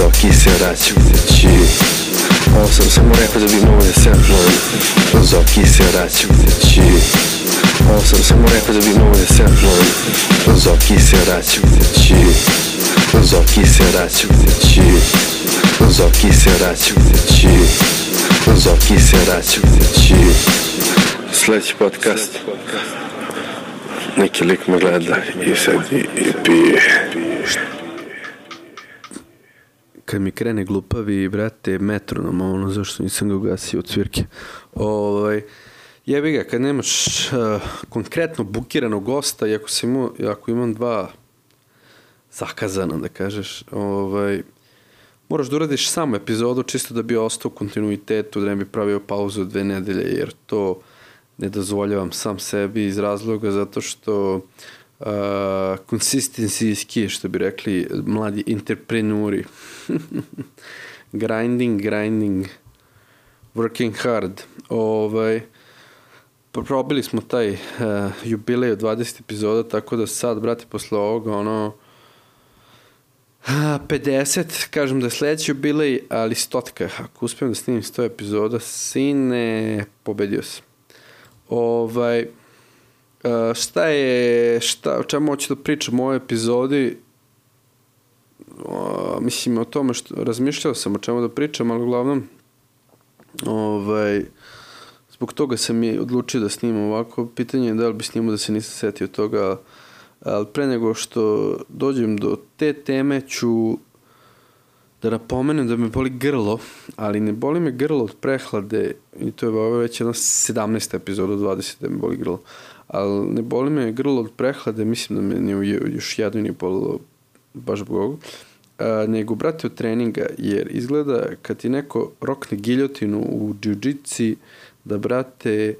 Zoki se vraća kući. Ovo sam samo rekao da bi mogo da se napnujem. Zoki se vraća kući. Ovo sam samo rekao da bi mogo da se napnujem. Zoki se vraća kući. Zoki se vraća kući. Zoki se vraća kući. Zoki se vraća kući. Sljedeći podcast. Neki lik me gleda i sad i pije. Kad mi krene glupavi, brate, metronom, ono, zašto nisam ga ugasio od cvirke. Jebi ga, kad nemaš konkretno bukiranog gosta, i ako imam dva zakazana, da kažeš, moraš da uradiš samo epizodu čisto da bi ostao u kontinuitetu, da ne bi pravio pauzu 2 nedelje, jer to ne dozvoljavam sam sebi iz razloga zato što consistency is key, što bi rekli mladi entrepreneurs. grinding, working hard. Probili smo taj jubilej od 20 epizoda, tako da sad, brate, posle ovoga, 50, kažem da je sledeći jubilej, ali 100, ako uspijem da snimim 100 epizoda, sine, pobedio sam. O čemu hoću da pričam u ovoj epizodi? Mislim, o tome što razmišljao sam o čemu da pričam, ali uglavnom zbog toga sam i odlučio da snimam ovako. Pitanje je da li bi snimao da se nisam setio toga, ali pre nego što dođem do te teme ću da napomenem da me boli grlo, ali ne boli me grlo od prehlade, i to je već jedna 17. epizoda od 20 da me boli grlo, ali ne boli me grlo od prehlade, mislim da me još jedno nije bolilo baš zbog ovoga, nego, brate, od treninga, jer izgleda kad ti neko rokne giljotinu u džiu-džici, da, brate,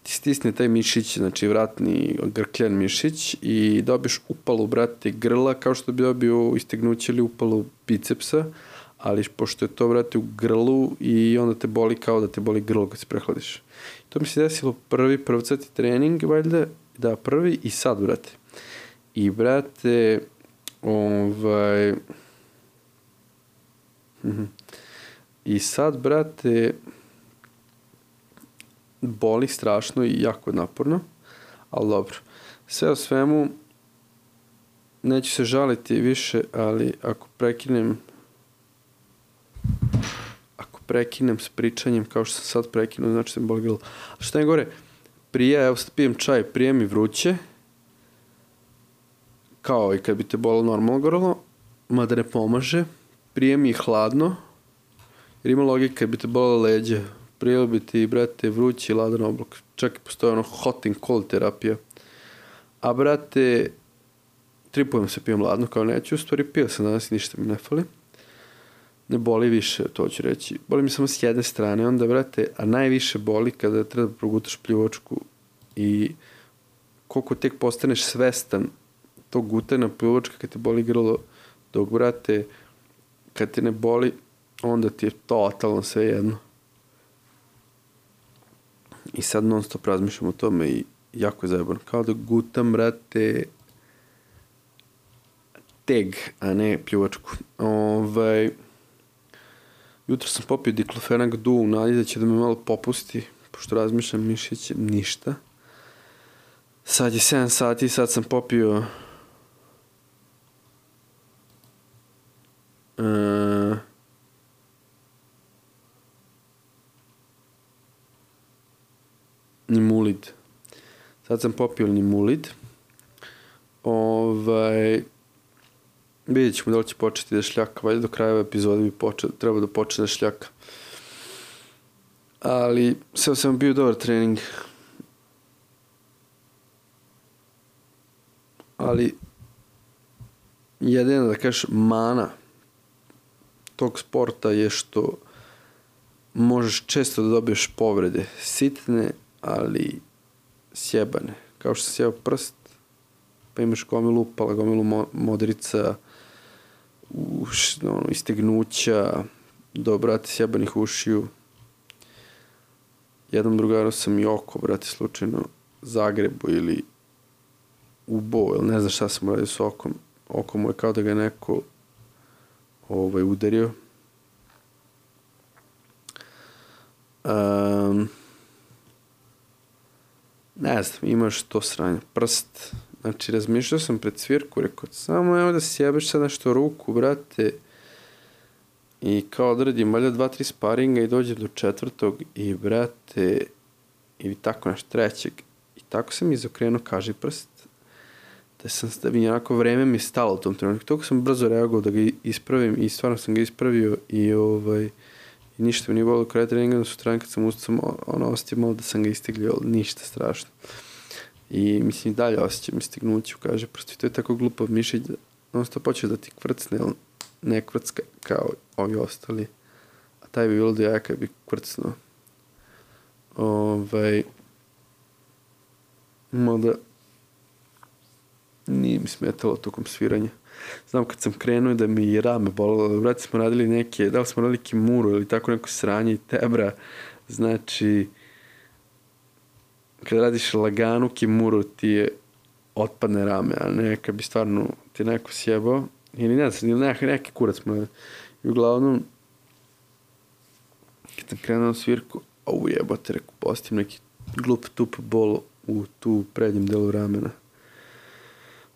ti stisne taj mišić, znači vratni grkljan mišić, i dobiš upalu, brate, grla, kao što bi dobio istegnuće ili upalu bicepsa, ali pošto je to, brate, u grlu, i onda te boli kao da te boli grlo kad se prehladiš. To mi se desilo prvcati trening, valjda, da, prvi i sad, brate. I, brate, i sad, brate, boli strašno i jako naporno, ali dobro. Sve o svemu, neću se žaliti više, ali ako prekinem s pričanjem kao što sam sad prekinuo, znači da mi boli grlo. A što je gore, evo sad pijem čaj, prije mi vruće, kao i kad bi te bolilo normalno grlo, mada ne pomaže, prije mi hladno, jer ima logika kad bi te bolilo leđe, prije bi ti, brate, vrući ladan oblak, čak i postoje hot and cold terapija. A, brate, tripujem se, pijem ladno, kao neću, u stvari pio sam danas, ništa mi ne fali. Ne boli više, to ću reći. Boli mi samo s jedne strane, onda, brate, a najviše boli kada treba da progutaš pljuvačku, i koliko tek postaneš svestan tog gutanja pljuvačka kad te boli grlo, dok, brate, kad te ne boli, onda ti je totalno sve jedno. I sad non stop razmišljam o tome i jako je zajebano. Kao da gutam, brate, teg, a ne pljuvačku. Jutro sam popio diklofenak du u nadi da će da me malo popusti, pošto razmišljam mišiće, ništa. Sad je 7 sati, sad sam popio Nimulid. Sad sam popio Nimulid. Vidjet ćemo da li će početi da šljaka. Valjda do kraja epizode bi treba da počne da šljaka. Ali sve sam bio dobar trening. Ali jedina, da kažeš, mana tog sporta je što možeš često da dobiješ povrede. Sitne, ali sjebane. Kao što se sjeba prst, pa imaš gomilu upala, gomilu modrica, istegnuća, do, brate, sjebanih ušiju. Jednom drugaru sam i oko, brate, slučajno Zagrebu ili ubo, ili ne znam šta sam uradio s okom. Oko mu je kao da ga neko udario. Ne znam, imaš to sranje. Prst. Znači, razmišljao sam pred svirku, rekao, samo evo da sjebeš sad nešto ruku, brate. I kao odradim valjda 2-3 sparinga i dođem do 4. i brate, i tako nešto 3. I tako sam izokrenuo kaži prst. Da bi onako vreme mi stalo u tom trenutku. Toliko sam brzo reagovao da ga ispravim i stvarno sam ga ispravio i ništa mi nije bilo kraj treninga, da sutra kad sam ustao, osjetio malo da sam ga istiglio, ali ništa strašno. I mislim i dalje osjećam istignuću, kaže, prosto to je tako glupo mišić da non stop hoće da ti kvrcne, ali ne kvrcka kao ovi ostali. A taj bi bilo da ja kad bi kvrcnuo. Mada nije mi smetalo tokom sviranja. Znam kad sam krenuo da mi i rame bolelo, vrati smo radili neke, da li smo radili kimuru ili tako neko sranje i tebra, znači kad radiš laganu kimuru ti je otpadne rame, a ne kad bi stvarno ti neko sjebao, ili ne znam, ili neki kurac smo radili. I uglavnom, kad sam krenuo na svirku, jebote, reku, postim neki glup tup bol u tu prednjem delu ramena.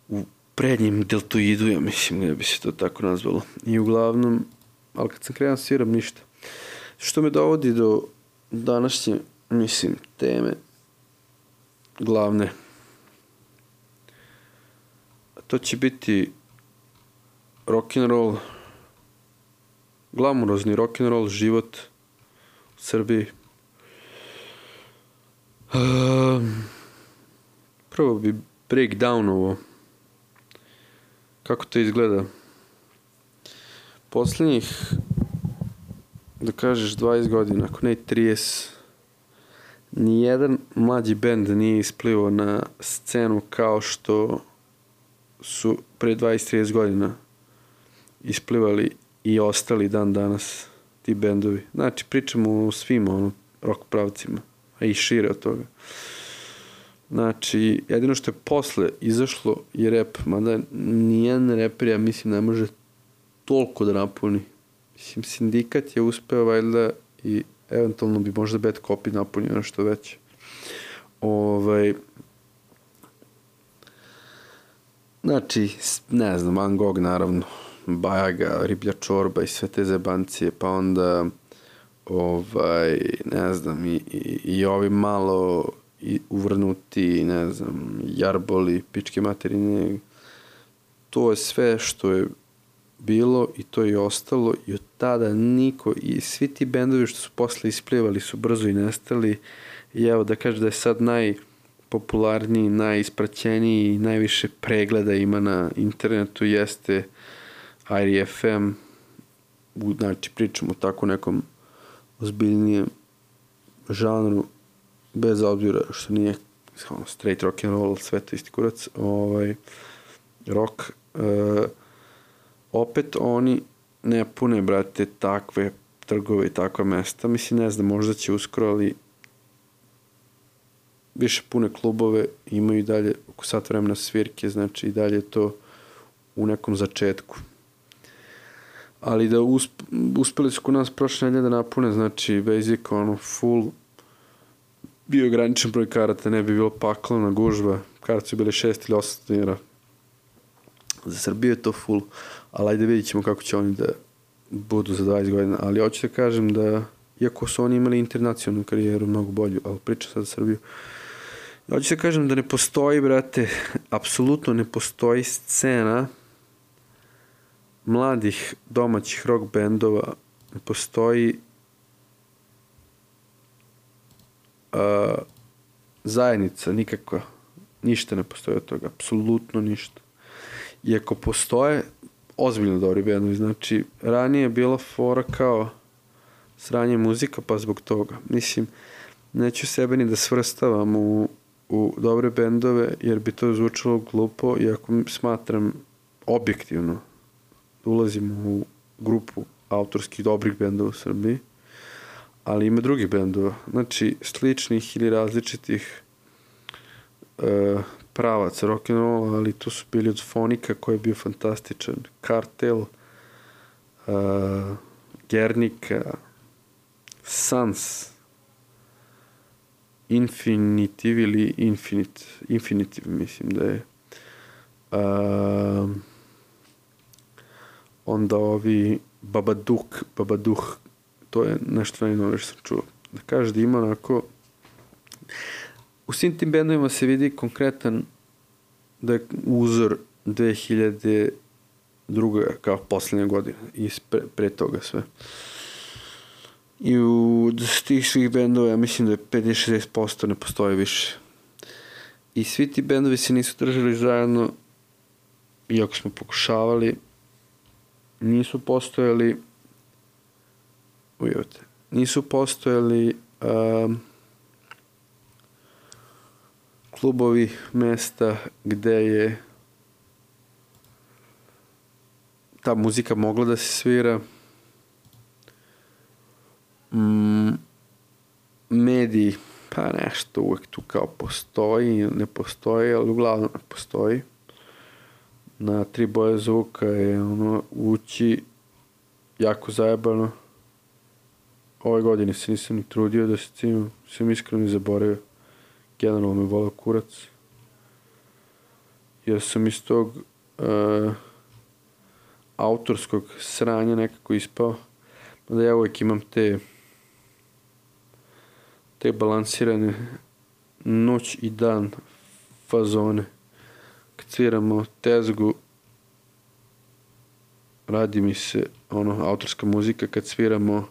U prednjem deltoidu, ja mislim da bi se to tako nazvalo. I uglavnom, ali kad sam krenuo sviram, ništa. Što me dovodi do današnje, mislim, teme glavne. To će biti rock'n'roll, glamurozni rock'n'roll život u Srbiji. Prvo bi breakdownovo kako to izgleda. Poslednjih, da kažeš, 20 godina, ako ne 30, nijedan mlađi bend nije isplivao na scenu kao što su pre 20-30 godina isplivali i ostali dan danas ti bendovi. Znači, pričamo o svim rock pravcima, a i šire od toga. Znači, jedino što je posle izašlo je rap, mada nijedan reper, ja mislim, ne može toliko da napuni. Mislim, Sindikat je uspeo valjda i eventualno bi možda Bad Copy napunio nešto veće. Znači, ne znam, Van Gogh naravno, Bajaga, Riblja čorba i sve te zebancije, pa onda ne znam, i ovi malo uvrnuti, ne znam, jarboli, pičke materine, to je sve što je bilo i to je ostalo i od tada niko, i svi ti bendovi što su posle isplivali su brzo i nestali i evo da kažem da je sad najpopularniji, najispraćeniji i najviše pregleda ima na internetu jeste IRFM, znači pričamo o tako nekom ozbiljnijem žanru, bez obzira što nije straight rock and roll, sve to isti kurac, rock, opet oni ne pune, brate, takve trgove i takva mesta. Mislim, ne znam, možda će uskoro, ali više pune klubove, imaju i dalje oko sat vremena svirke, znači i dalje to u nekom začetku. Ali da uspeli su kod nas prošle nedelje da napune, znači basic, full, bio ograničen broj karata, ne bi bilo paklona gužba, karate su bile 6 ili 8 dinara. Za Srbiju je to full, ali ajde vidit ćemo kako će oni da budu za 20 godina, ali hoću da kažem da, iako su oni imali internacionalnu karijeru mnogo bolju, ali pričam sad za Srbiju, hoću da kažem da ne postoji, brate, apsolutno ne postoji scena mladih domaćih rock bendova, ne postoji zajednica nikakva, ništa ne postoji od toga, apsolutno ništa. Iako postoje ozbiljno dobri bendovi, znači ranije je bila fora kao sranje muzika, pa zbog toga. Mislim, neću sebe ni da svrstavam u dobre bendove, jer bi to zvučalo glupo, iako smatram objektivno da ulazimo u grupu autorskih dobrih bendova u Srbiji, ali ima drugih bendova, znači sličnih ili različitih pravaca rock'n'rolla, ali tu su bili od Fonika koji je bio fantastičan, Kartel, Guernica, Sans, Infinitiv ili Infinitiv, mislim da je. Onda ovi Babaduh, to je nešto najnovije što sam čuo. Da kaže da ima onako, u svim tim bendovima se vidi konkretan da je uzor 2002. kao poslednja godina i pre toga sve. I u tih svih bendova ja mislim da je 50-60% ne postoji više. I svi ti bendovi se nisu držali zajedno, iako smo pokušavali, nisu postojali klubovi, mesta gde je ta muzika mogla da se svira, mediji, pa nešto uvek tu kao postoji, ne postoji, ali uglavnom ne postoji. Na 3 boje zvuka je ući jako zajebano. Ove godine se nisam ni trudio da se cimam, sam iskreno zaboravio. Generalno me volao kurac. Jer sam iz tog autorskog sranja nekako ispao. Da ja uvijek imam te balansirane noć i dan fazone. Kad sviramo tezgu, radi mi se autorska muzika. Kad sviramo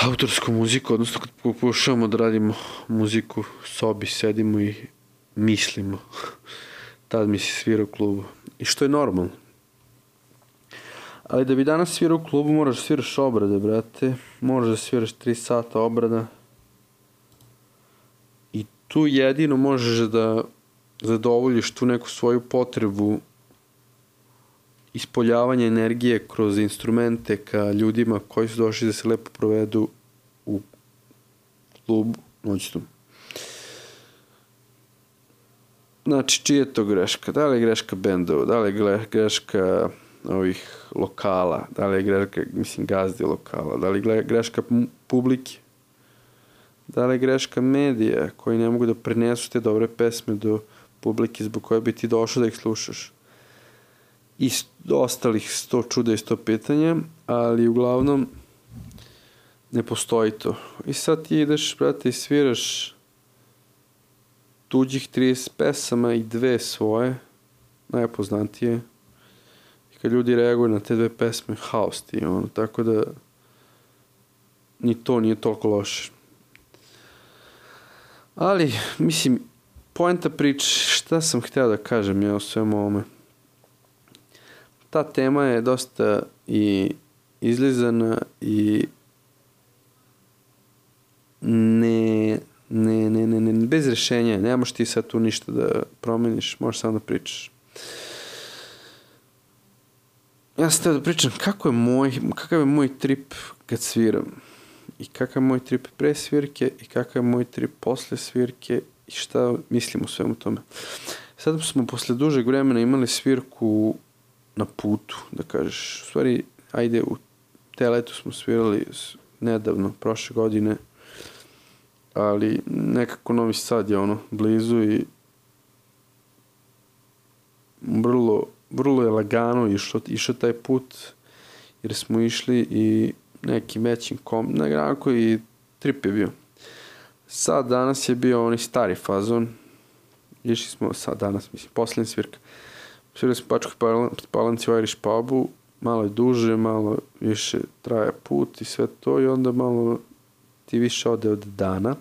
autorsku muziku, odnosno kad pokušavamo da radimo muziku, sobi sedimo i mislimo. Tad mi se svira u klubu. I što je normalno. Ali da bi danas svirao u klubu moraš da sviraš obrade, brate. Moraš da sviraš 3 sata obrada. I tu jedino možeš da zadovoljiš tu neku svoju potrebu ispoljavanja energije kroz instrumente ka ljudima koji su došli da se lepo provedu u klubu noćnom. Znači, čija je to greška? Da li je greška bendova? Da li je greška ovih lokala? Da li je greška, gazdi lokala? Da li je greška publike? Da li je greška medija koji ne mogu da prenesu te dobre pesme do publike zbog koje bi ti došao da ih slušaš? I ostalih 100 čuda i 100 pitanja, ali uglavnom ne postoji to. I sad ti ideš, brate, i sviraš tuđih 30 pesama i 2 svoje, najpoznatije. I kad ljudi reaguju na te 2 pesme, haos ti, tako da ni to nije toliko loše. Ali, mislim, poenta priče, šta sam hteo da kažem ja o svemu ovome? Ta tema je dosta i izlizana i bez rešenja. Nemaš ti sad tu ništa da promeniš, možeš samo da pričaš. Ja sam htio da pričam kakav je moj trip kad sviram. I kakav je moj trip pre svirke i kakav je moj trip posle svirke i šta mislim o svemu tome. Sad smo posle dužeg vremena imali svirku na putu, da kažeš. U stvari, ajde, u Teletu smo svirali nedavno, prošle godine, ali nekako Novi Sad je blizu i vrlo je lagano išao taj put, jer smo išli i nekim većim nekako i trip je bio. Sad danas je bio onaj stari fazon, išli smo sad danas, mislim, posljednja svirka. Svirali smo Pačkoj Palanci u Irish pubu, malo je duže, malo više traje put i sve to i onda malo ti više ode od dana.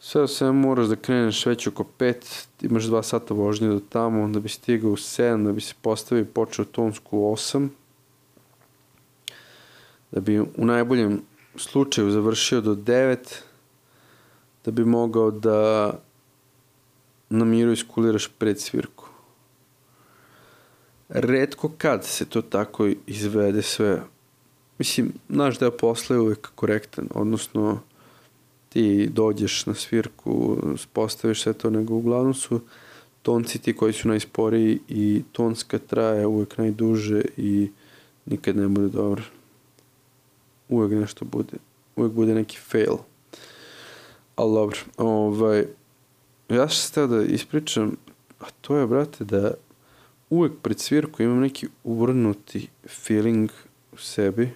Sve moraš da kreneš već oko 5, imaš 2 sata vožnje do tamo, onda bi stigao u 7, da bi se postavio i počeo tonsku u 8, da bi u najboljem slučaju završio do 9, da bi mogao da na miru iskuliraš pred svirku. Retko kad se to tako izvede sve. Mislim, naš deo posla je uvek korektan, odnosno ti dođeš na svirku, postaviš sve to, nego uglavnom su tonci ti koji su najsporiji i tonska traje uvek najduže i nikad ne bude dobro. Uvijek nešto bude. Uvijek bude neki fail. Ali dobro. Ja što sam htio da ispričam, a to je, brate, da uvijek pred svirku imam neki uvrnuti feeling u sebi.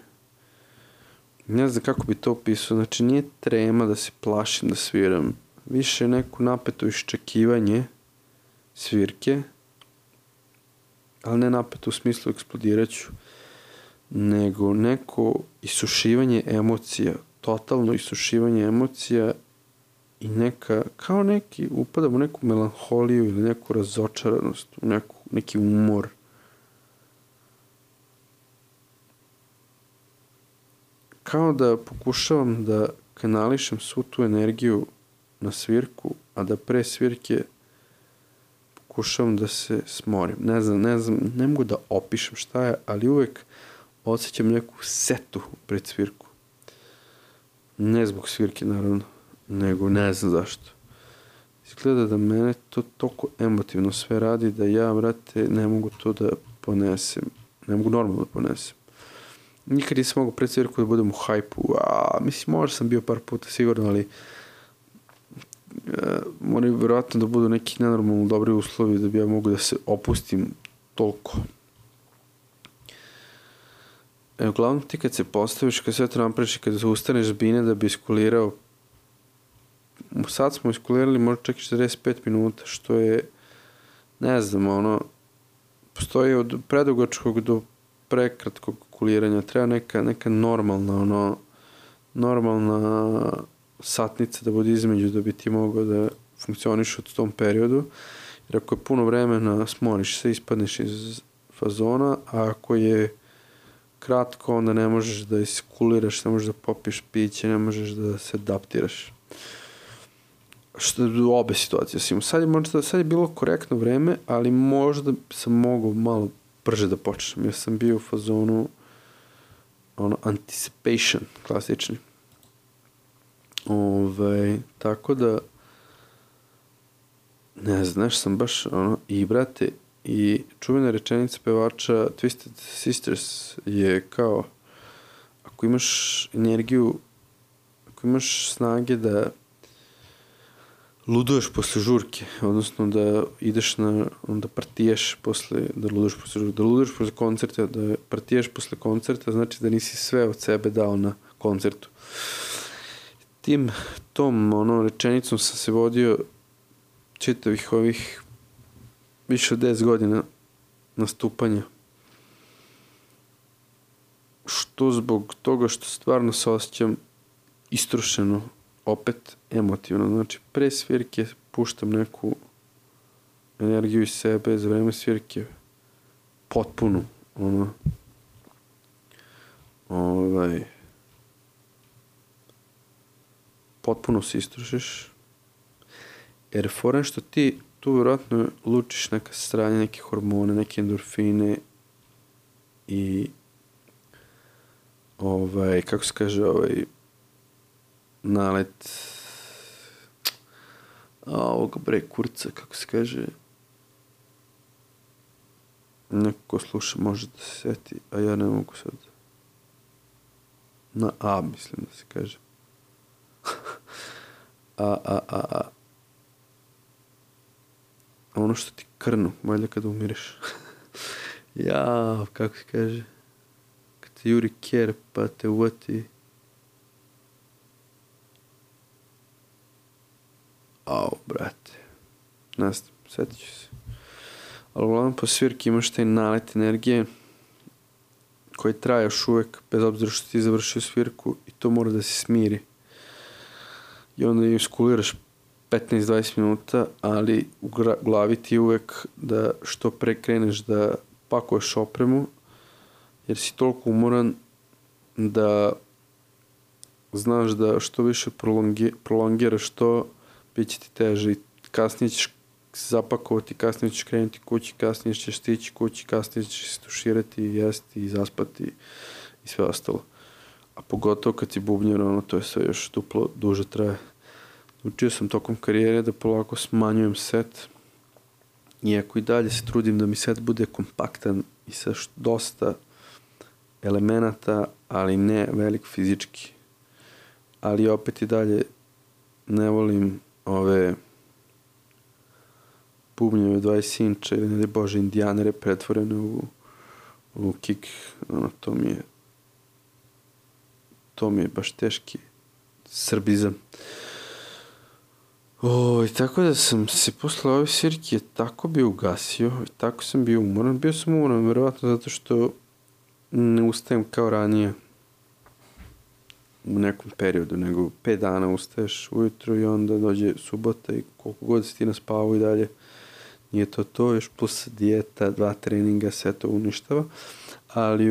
Ne znam kako bi to opisao. Znači, nije trema da se plašim da sviram. Više neko napeto iščekivanje svirke, ali ne napeto u smislu eksplodiraću, nego neko isušivanje emocija, totalno isušivanje emocija i kao neki, upadam u neku melanholiju ili neku razočaranost, u neki umor. Kao da pokušavam da kanališem svu tu energiju na svirku, a da pre svirke pokušavam da se smorim. Ne znam, ne mogu da opišem šta je, ali uvek osjećam neku setu pred svirku. Ne zbog svirke, naravno, nego ne znam zašto. Izgleda da mene to toliko emotivno sve radi da ja, brate, ne mogu to da ponesem. Ne mogu normalno da ponesem. Nikad nisam mogu pred svirku da budem u hajpu. Mislim, možda sam bio par puta sigurno, ali moraju vjerojatno da budu neki nenormalno dobri uslovi da bi ja mogu da se opustim toliko. Uglavnom ti kad se postaviš, kad sve to napraviš i kad ustaneš s bine da bi iskulirao, sad smo iskulirali možda čak i 45 minuta, što je, ne znam, postoji od predugačkog do prekratkog kuliranja. Treba neka normalna satnica da bude između da bi ti mogao da funkcioniš u tom periodu. Jer ako je puno vremena, smoriš se, ispadneš iz fazona, a ako je kratko, onda ne možeš da iskuliraš, ne možeš da popiješ piće, ne možeš da se adaptiraš. Što je obe situacije. Sad je bilo korektno vreme, ali možda sam mogao malo brže da počnem. Jer sam bio u fazonu anticipation, klasični. Tako da ne znam, sam baš i brate, i čuvena rečenica pevača Twisted Sisters je kao, ako imaš energiju, ako imaš snage da luduješ posle žurke, odnosno da ideš da partijaš posle, da luduješ posle žurke, da luduješ posle koncerta, da partijaš posle koncerta, znači da nisi sve od sebe dao na koncertu. Tom rečenicom sam se vodio čitavih ovih više od 10 godina nastupanja. Što zbog toga što stvarno se osjećam istrošeno, opet emotivno. Znači, pre svirke puštam neku energiju iz sebe, za vreme svirke potpuno, potpuno se istrošiš, jer foran što ti tu vjerojatno lučiš neka stranja, neke hormone, neke endorfine i kako se kaže, nalet ovoga kurca, kako se kaže, neko ko sluša može da se seti, a ja ne mogu sad. Na A mislim da se kaže. Ono što ti krnu, valjda kada umireš. Kako se kaže, kad te juri kjer pa te uvati. Brate, ne znam, sjetit ću se. Ali uglavnom po svirki imaš taj nalet energije koji traje još uvek, bez obzira što ti završio svirku, i to mora da se smiri. I onda iskuliraš 15-20 minuta, ali u glavi ti uvek da što pre kreneš da pakuješ opremu, jer si toliko umoran da znaš da što više prolongiraš to, bit će ti teže i kasnije ćeš se zapakovati, kasnije ćeš krenuti kući, kasnije ćeš stići kući, kasnije ćeš se tuširati, jesti i zaspati i sve ostalo. A pogotovo kad si bubnjar, to je sve još duplo duže traje. Učio sam tokom karijere da polako smanjujem set, iako i dalje se trudim da mi set bude kompaktan i sa dosta elemenata, ali ne velik fizički. Ali opet i dalje ne volim ove bubnjeve 20 inča ili ne daj Bože indijanere pretvorene u kick. Ono, to mi je baš teški srbizam. Tako da sam se posle ove svirke tako bio ugasio, tako sam bio umoran. Bio sam umoran verovatno zato što ne ustajem kao ranije u nekom periodu, nego 5 dana ustaješ ujutro i onda dođe subota i koliko god si ti naspavao i dalje nije to, još plus dijeta, 2 treninga, sve to uništava. Ali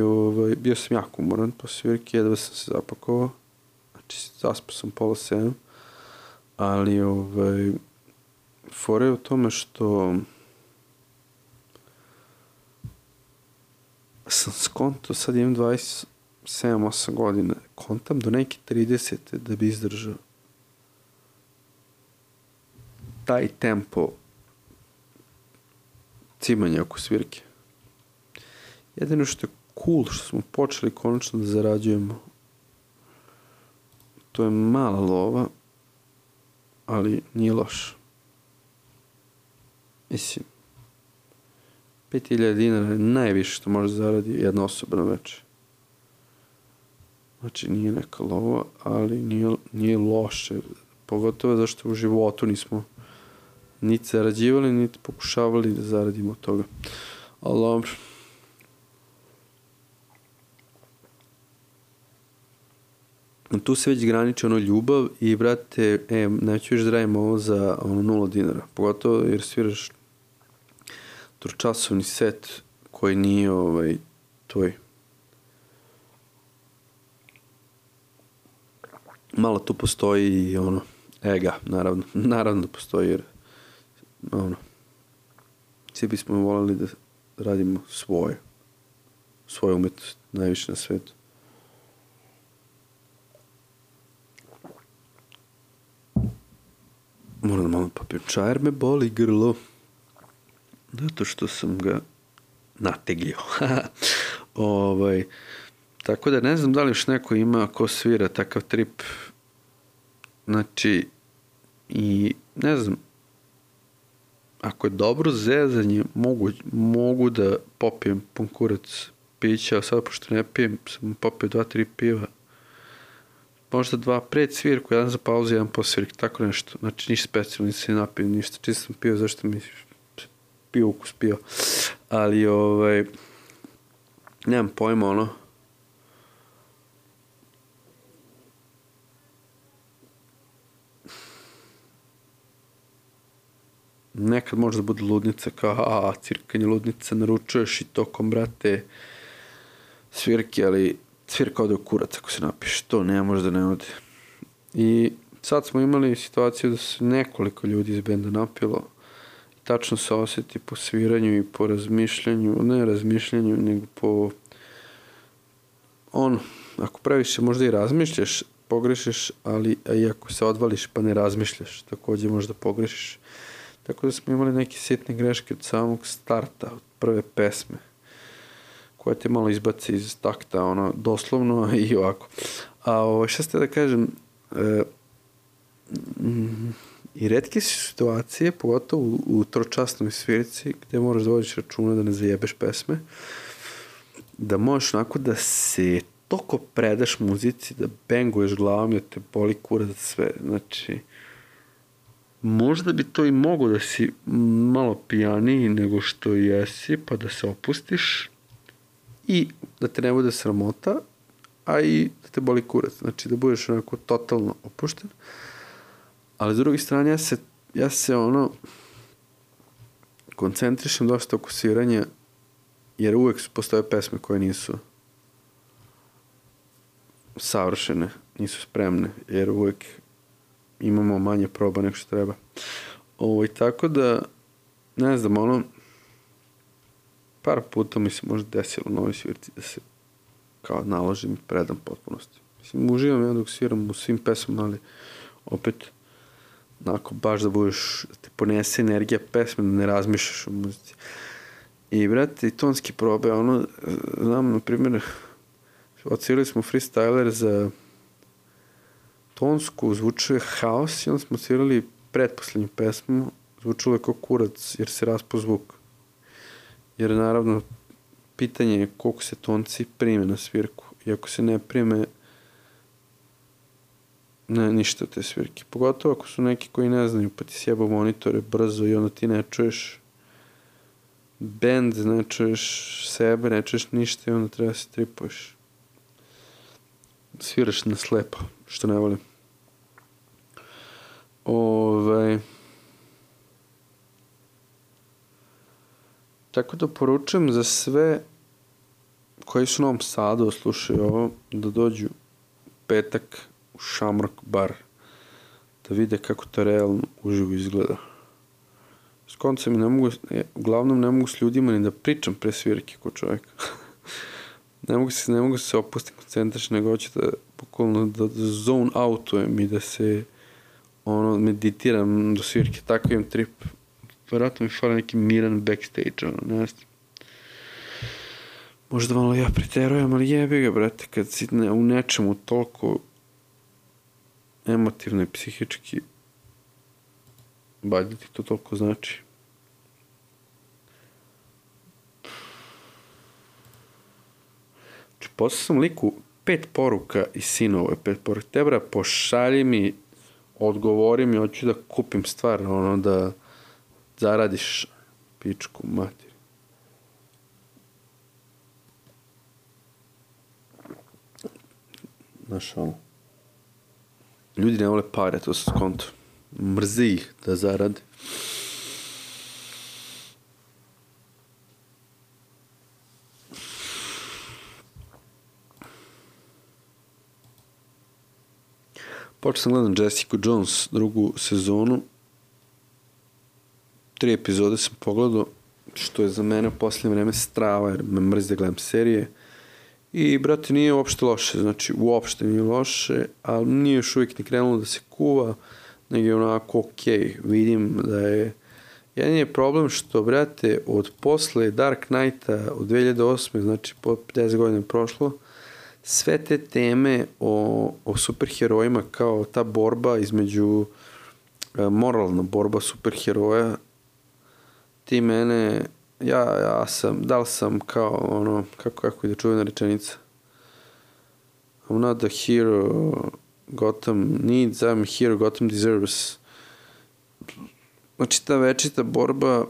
bio sam jako umoran po svirke, jedva sam se zapakovao, znači zaspao sam 6:30, ali fora je u tome što sam skonto, sad imam 27-8 godina, kontam do neke 30 da bi izdržao taj tempo cimanja oko svirke. Jedino što je cool, što smo počeli konačno da zarađujemo, to je mala lova, ali nije loš. Mislim, 5.000 dinara je najviše što može zaradi jedna osoba na večer. Znači nije neka lova, ali nije loše. Pogotovo zašto u životu nismo niti zarađivali, niti pokušavali da zaradimo od toga. Ali dobro. Tu se već graniči ljubav i brate, neću još da radim ovo za 0 dinara. Pogotovo jer sviraš tročasovni set koji nije tvoj. Malo tu postoji i ega, naravno da postoji jer svi bismo voljeli da radimo svoju umetnost najviše na svetu. Moram malo popijem čaj jer me boli grlo. Zato što sam ga nateglio. Tako da ne znam da li još neko ima ko svira takav trip. Znači, i ne znam, ako je dobro zezanje, mogu da popijem pun kurac pića, a sad pošto ne pijem, sam popio 2-3 piva. Možda 2 pred svirku, 1 za pauzu, 1 po svirku, tako nešto. Znači, ništa specijalno, nisam napio, ništa, čisto sam pio, zašto mi pio ukus pio. Ali, nemam pojma, nekad može da bude ludnica, kao, cirkanje ludnica, naručuješ i tokom, brate, svirke, ali svirka ode u kurac ako se napiš, to ne može da ne ode. I sad smo imali situaciju da se nekoliko ljudi iz benda napilo i tačno se osjeti po sviranju i po razmišljanju, ne razmišljanju, nego po ako previše možda i razmišljaš, pogrešiš, ali i ako se odvališ pa ne razmišljaš, takođe možda pogrešiš. Tako da smo imali neke sitne greške od samog starta, od prve pesme, koja te malo izbaci iz takta, doslovno i ovako. A šta ste da kažem, i retke su situacije, pogotovo u tročasnoj svirci, gde moraš da vodiš računa da ne zajebeš pesme, da možeš onako da se toliko predaš muzici, da benguješ glavom i da te boli kurac sve. Znači, možda bi to i mogo da si malo pijaniji nego što jesi, pa da se opustiš i da te ne bude sramota, a i da te boli kurac. Znači, da budeš onako totalno opušten. Ali s druge strane, ja se koncentrišem dosta oko sviranja, jer uvek postoje pesme koje nisu savršene, nisu spremne, jer uvek imamo manje proba nego što treba. Tako da, ne znam, par puta mi se možda desilo na ovoj svirci da se kao naložim i predam potpunosti. Mislim, uživam ja dok sviram u svim pesmama, ali opet onako baš da budeš, da te ponese energija pesme, da ne razmišljaš o muzici. I brate, tonski probe, znam, na primjer, odsvirali smo freestyler za tonsku, zvučio je haos i onda smo svirali pretposlednju pesmu, zvučilo je kao kurac jer se raspao zvuk. Jer naravno pitanje je koliko se tonci prime na svirku i ako se ne prime ne, ništa te svirke. Pogotovo ako su neki koji ne znaju pa ti sjebao monitore brzo i onda ti ne čuješ bend, ne čuješ sebe, ne čuješ ništa i onda treba se tripuješ. Sviraš na slepo, što ne volim. Tako da poručujem za sve koji su u Novom Sadu slušaju ovo, da dođu petak u Shamrock bar, da vide kako to realno uživo izgleda. S koncem uglavnom ne mogu s ljudima ni da pričam pre svirke ko čovjek. ne mogu se opustiti, koncentrišiti, nego hoću da bukvalno da zone outujem i da se meditiram do svirke, tako imam trip. Vjerojatno mi fali neki miran backstage, ne znam. Možda malo ja preterujem, ali jebi ga, brate, kad si u nečemu toliko emotivno i psihički, valjda ti to toliko znači. Znači, poslao sam liku 5 poruka iz sinove, 5 poruka. Tebra, pošalji mi, odgovori mi, hoću da kupim stvar, da zaradiš pičku mater. Znaš, ljudi ne vole pare, to se skonto. Mrzi ih da zarade. Počeo sam gledam Jessica Jones drugu sezonu. 3 epizode sam pogledao, što je za mene u posljednje vreme strava, jer me mrzi da gledam serije. I, brate, nije uopšte loše, znači uopšte nije loše, ali nije još uvijek ni krenulo da se kuva, nego je onako okej. Vidim da je... Jedan je problem što, brate, od posle Dark Knighta od 2008. znači po 10 godina je prošlo, sve te teme o superherojima kao ta borba između moralna borba superheroja, ti mene... Ja sam, da li sam kao kako je da čuvena rečenica? I'm not the hero Gotham needs, I'm a hero Gotham deserves. Znači ta večita borba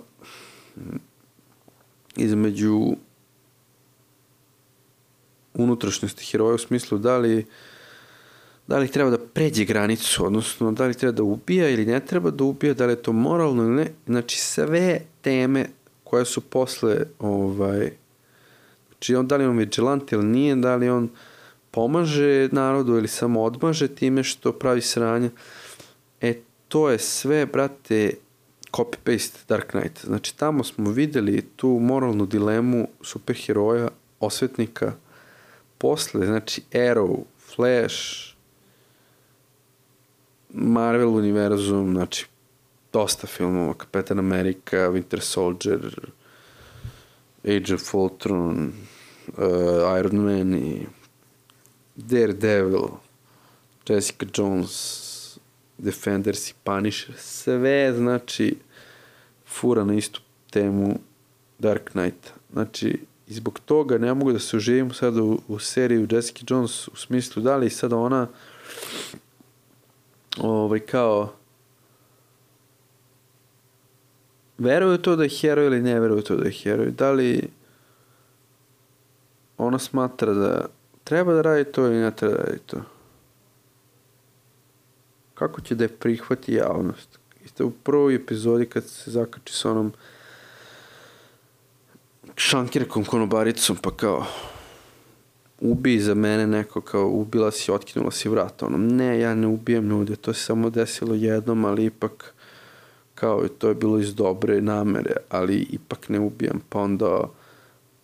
između unutrašnjosti heroja u smislu da li treba da pređe granicu, odnosno da li treba da ubija ili ne treba da ubija, da li je to moralno ili ne. Znači sve teme koje su posle, znači da li on vigilante ili nije, da li on pomaže narodu ili samo odmaže time što pravi sranje. To je sve, brate, copy-paste Dark Knight. Znači tamo smo videli tu moralnu dilemu superheroja, osvetnika, posle, znači Arrow, Flash, Marvel univerzum, znači dosta filmova, Kapetan Amerika, Winter Soldier, Age of Ultron, Iron Man i Daredevil, Jessica Jones, Defenders i Punisher, sve znači fura na istu temu Dark Knighta. Znači, i zbog toga ne mogu da se uživim sad u seriju Jessica Jones u smislu da li sad ona kao veruje to da je heroj ili ne veruje to da je heroj. Da li ona smatra da treba da radi to ili ne treba da radi to. Kako će da je prihvati javnost? Isto u prvoj epizodi kad se zakači s onom šankirkom konobaricom, pa kao ubij za mene neko, kao ubila si, otkinula si vrata. Ne, ja ne ubijem ljude, to se samo desilo jednom, ali ipak kao to je bilo iz dobre namere, ali ipak ne ubijam, pa onda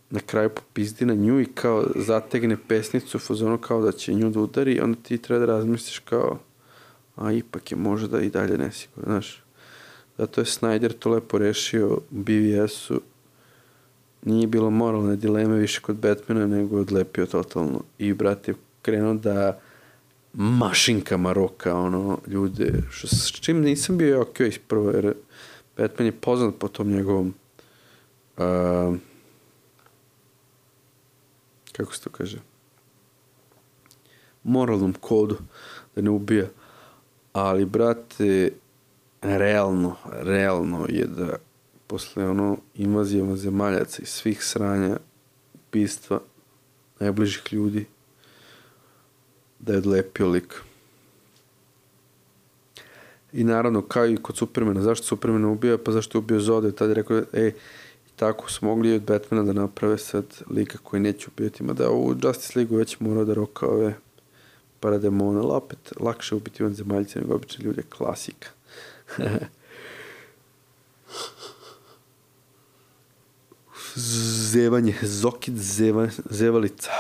na kraju popizdi na nju i kao zategne pesnicu u fazonu kao da će nju da udari, onda ti treba da razmisliš kao a ipak je možda i dalje nesigurno, znaš. Zato je Snyder to lepo rešio u BVS-u nije bilo moralne dileme više kod Batmana, nego je odlepio totalno. I brat je krenuo da mašinkama roka, ljude, s čim nisam bio okej prvo, jer Batman je poznat po tom njegovom kako se to kaže, moralnom kodu, da ne ubija. Ali, brate, realno je da posle invazijama zemaljaca i svih sranja, ubistva najbližih ljudi, da je odlepio lik. I naravno, kao i kod Supermana, zašto Supermana ubija? Pa zašto je ubio Zoda? I tada je rekao, tako su mogli od Batmana da naprave sad lika koji neće ubijati. Mada u Justice League već morao da roka ove parademone, ali opet lakše ubiti vanzemaljce nego obični ljudi, klasika. Zevanje, Zokid zevalica.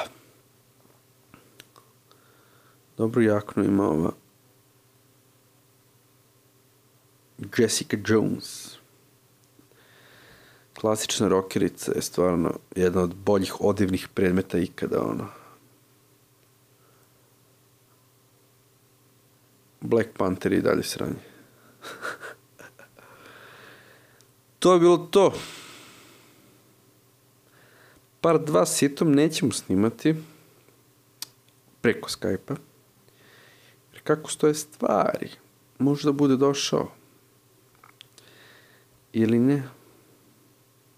Dobru jaknu ima ova Jessica Jones. Klasična rokerica je stvarno jedna od boljih odevnih predmeta ikada, Black Panther i dalje sranje. To je bilo to. Part 2 sitom nećemo snimati preko Skype-a. Jer kako stoje stvari, možda bude došao. Ili ne.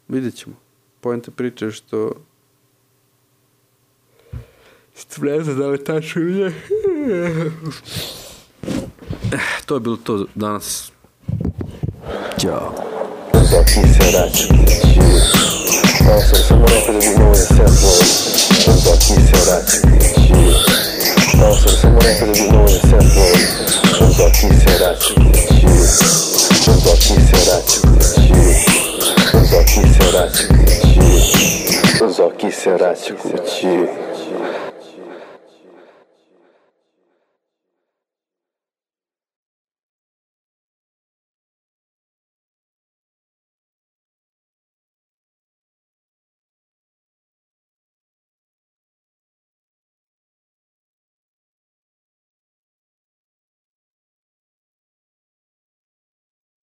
Vidjet ćemo. Poenta priče je što ne znam da li tačno je. To je bilo to danas. Ćao. Zaki se rači. Samo rekao da bi mogo da se tvoj. Zaki se rači. Samo rekao da bi mogo da se tvoj. Zaki se rači. Zaki se rači. Zaki se rači. Zaki se rači kući.